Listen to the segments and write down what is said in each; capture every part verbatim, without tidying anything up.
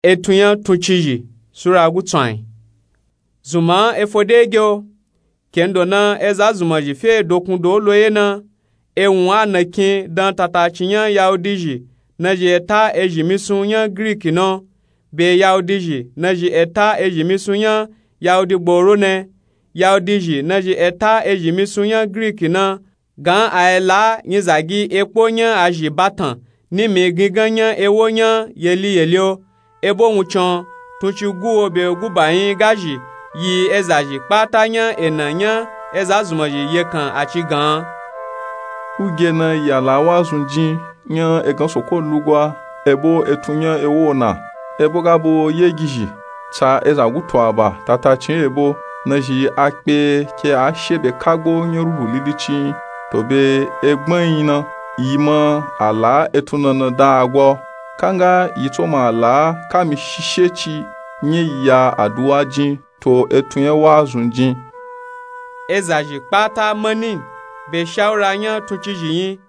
Etun nya tuncizhi sura gutswan. Zunman efo dege o. Kendo na eza zunmazhi fe dokun do lo ye na, ewun anakin dan tatacin nya yahudizhi nazhi eta ezhi misun nya giriki na, be yahudizhi nazhi eta ezhi misun nya yahudi gboro na, yahudizhi nazhi eta ezhi misun nya giriki na. Gan a yi la nyizagi ekpo nya azhi batan nimi gingan nya ewo nya yeli yeli o. Ebo wuncin tuncin guwo be guba yin gazhi yi ezazhi kpata nya ena nya eza zunmazhi yekan a ci gan. Uge na ya la wazun jin nya egan soko lugwa ebo etun nya ewo na. Ebo ga bo yegizhi tsa eza gutu aba tatacin ebo nazhi akpe ke a she be kagbo nya ruhu lilici yin to be egban yin na, yi ma a la etun nana da agwa o. Kanga yi tso ma a la kami shishe ci nya yi ya aduwa jin to etun nya wazun jin. Ezazhi kpata mani be shawura nya tuncizhi yin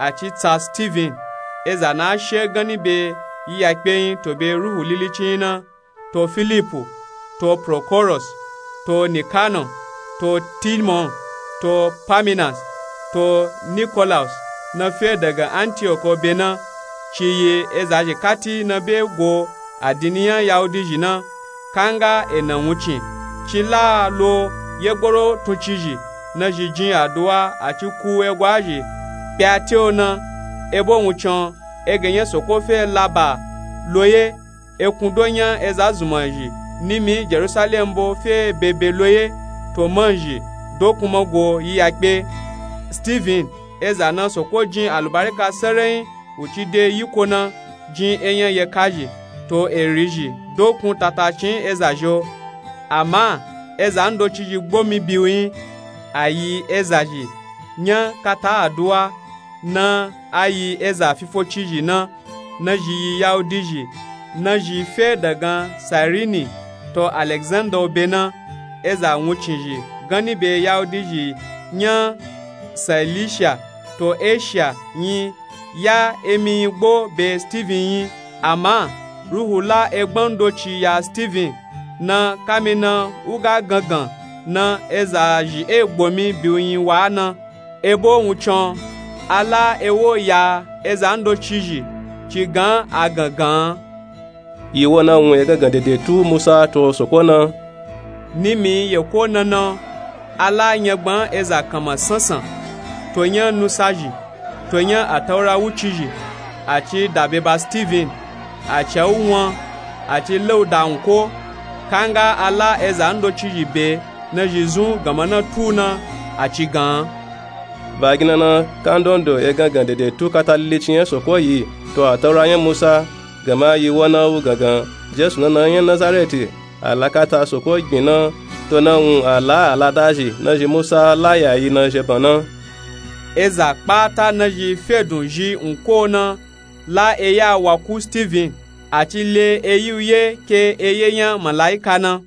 a ci tsa Steven, eza na she ganni be yiyakpe yin to be ruhu lilici yin na, to Filipu, to Prokoros, to Nikano, to Timon, to Paminas, to Nikolaus na fe daga Antiyoko be na. Ci yi ezazhi kati na be go adini nya yahudizhi na. Kanga ena wuncin ci la lo yegboro tuncizhi nazhi jin aduwa a ci ku egwazhi kpya te o na. Ebo wuncin egan nya soko fe laba lo ye. Ekun do nya eza zunmazhi nimi Jerusalem bo fe bebe lo ye to manzhi dokun ma go yiyakpe. Steven, eza na soko jin alubarika sarayin wu ci de yiko na, jin enya yekazhi to erizhi dokun tatacin ezazhi o. Ama eza ndocizhi gbomi biwu yin. A yi ezazhi nya kata aduwa na a yi eza fifocizhi na, nazhi yi yahudizhi nazhi fe dagan Sairini to Alexander o be na. Eza wuncizhi ganni be yahudizhi nya Cilicia to Asia yin ya emi yin gbo be Steven yin. Ama ruhu la egban ndoci ya Steven na, kami na u ga gangan na ezazhi e gbomi biwu yin wa na. Ebo wuncin a la ewo ya eza ndocizhi ci gan a gangan. Yi wo na wun egangan dedetu Musa to soko na. Nimi yeko nana a la nyagban eza kanma sansan to nya nusazhi to nya Ataura wucizhi a ci dabe ba Steven, a ca u wan, a ci la u da wun ko. Kanga a la eza ndocizhi be nazhi zun ganma na tu na, a ci gan. Ba ginna na kandondo egangan dedetu kata lilici nya soko yi to Ataura nya Musa. Gama yi wo na wu gangan Jesu nana nya Nazareti, a la kata soko gbin na, to na wun a la aladazhi nazhi Musa la ya yi na zheban na. Eza kpata nazhi fedun zhi wun ko na la eya wa ku Steven, a ci le eyi u ye ke eye nya malaika na.